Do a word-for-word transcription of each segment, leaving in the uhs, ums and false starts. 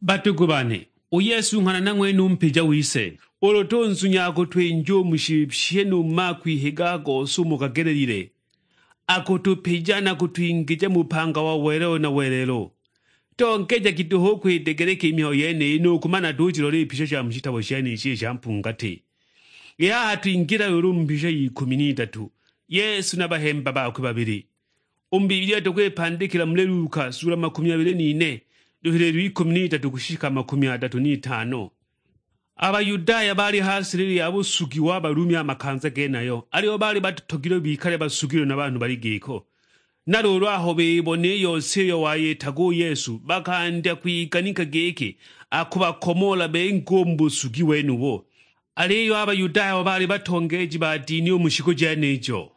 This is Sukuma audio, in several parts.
Badugu bane, u Yesu nghana na ng'wene u mpija wise. Ulu tunzunya akutwinja u mu shipye nu mu makwihiga a gose umo gagelelile, akutupija na kutwingija mu bupanga wa welelo na welelo. Tongejagi duhu u kwidegeleka i mihayo yeniyi nu kumana tujilola i pisha sha mu shitabo shenishi i sha mpungati. I haha twingila luulu mu mpisha y'ikumi n'idatu, Yesu na bahemba bakwe babili. U mu Bibilia tukwipandikila muli Luka sula makumi abili n'ine, luhililo ikumi n'idatu kushika makumi adatu n'itano. A Bayudaya baali ha silili ya busugi wa Balumi a makanza genayo, aliyo baali batutogilwe bikale basugilwe na banhu bali giko. Na luulu aho bibona i yose iyo wayitaga u Yesu, bakandya kwiganika giki akubakomoola bengi u mu busugi wenubo. Aliyo a Bayudaya abo baali batongeeji ba dini u mu shiku jenijo,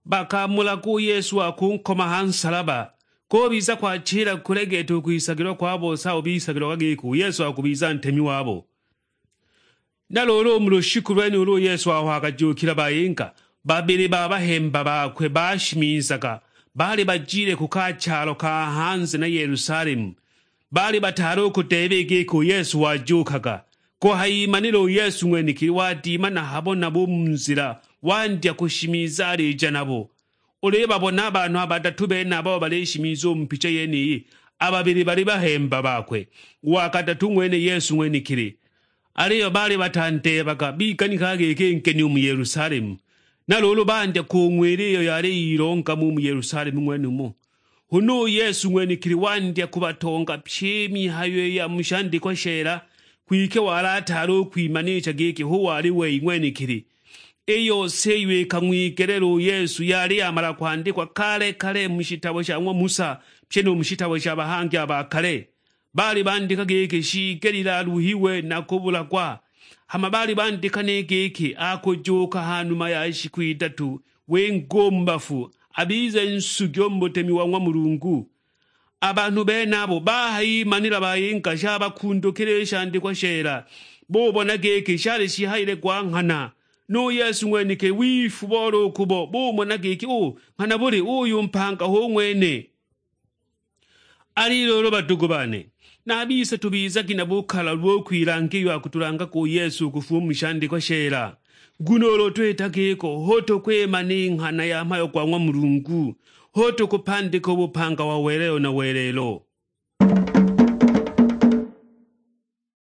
bakamulaga u Yesu wa kunkoma ha nsalaba, kubiza kwachila kulegeeta u kwisagilwa kwa bose abo bisagilwaga giki u Yesu akubiza ntemi wabo. Na luulu u mu lushiku lwenulu u Yesu aho akajuukila bayinga, babili ba bahemba bakwe bashimizaga, baali bajile ku ka chalo ka hanze na Yelusalemu. Baali bataali u kudeeba i giki u Yesu wajuukaga. Kuhayimanila u Yesu ng'wenekili wadima na habo nabo u mu nzila, wandya kushimiza alija nabo. Ulibabona a banhu a badatu benaba abo balishimiza u mu picha yeniyi, a babili bali bahemba bakwe, u wa kadatu ng'wene Yesu ng'wenekili. Aliyo baali batandeebaga, biganika giki nkeni u mu Yelusalemu. Na luulu bandya kung'wila iyo yali yilongama u mu Yelusalemu ng'wenumo. Huna u Yesu ng'wenekili wandya kubatonga pyi i mihayo i ya mu shandikwa sheela, kwike wali ataali u kwimanicha giki hu wali wei ng'wenekili. I yose iyo ikang'wigelela u Yesu yali yamala kwandikwa kale-kale mu shitabo sha ng'wa Musa, pyi nu mu shitabo sha bahangi a ba kale. Baali bandika giki shiigelile aluhiwe na kubulagwa, hama baali bandika ni giki akujuuka ha numa ya shiku idatu, winga u mu bafu, abize nsugi u mu butemi wa ng'wa Mulungu. A banhu benabo bahayimanila bayinga shabakundukila i shandikwa sheela, bubona giki shali shihayile gwa nghana. Nu Yesu ng'wenekili wifubola u kubo, bumona giki u nghana buli uyu mpanga hu ng'wene. Ali luulu badugu bane, na a bise tubizagi na bukalalu bo kwilanga iyo akutulangaga u Yesu u kufuma mu shandikwa sheela. Nguno ulu twita giko, hu tukwimana i nghana ya mhayo gwa ng'wa Mulungu, hu tukupandika u bupanga wa welelo na welelo.